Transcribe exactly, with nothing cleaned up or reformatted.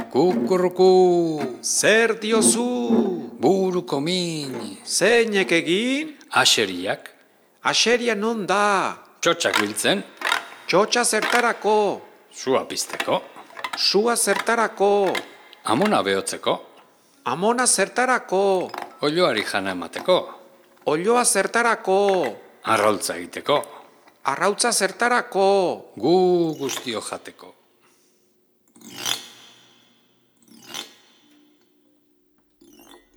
Kukurruku, Zer diozu? buruko min, Zeinek egin? aseriak, Aseria non da? txotxak biltzen, Txotxa zertarako? sua pizteko, Sua zertarako? amona behotzeko, Amona zertarako? olioari jana emateko, Olioa zertarako? arraultza egiteko, Arrautza zertarako? gu guztio jateko.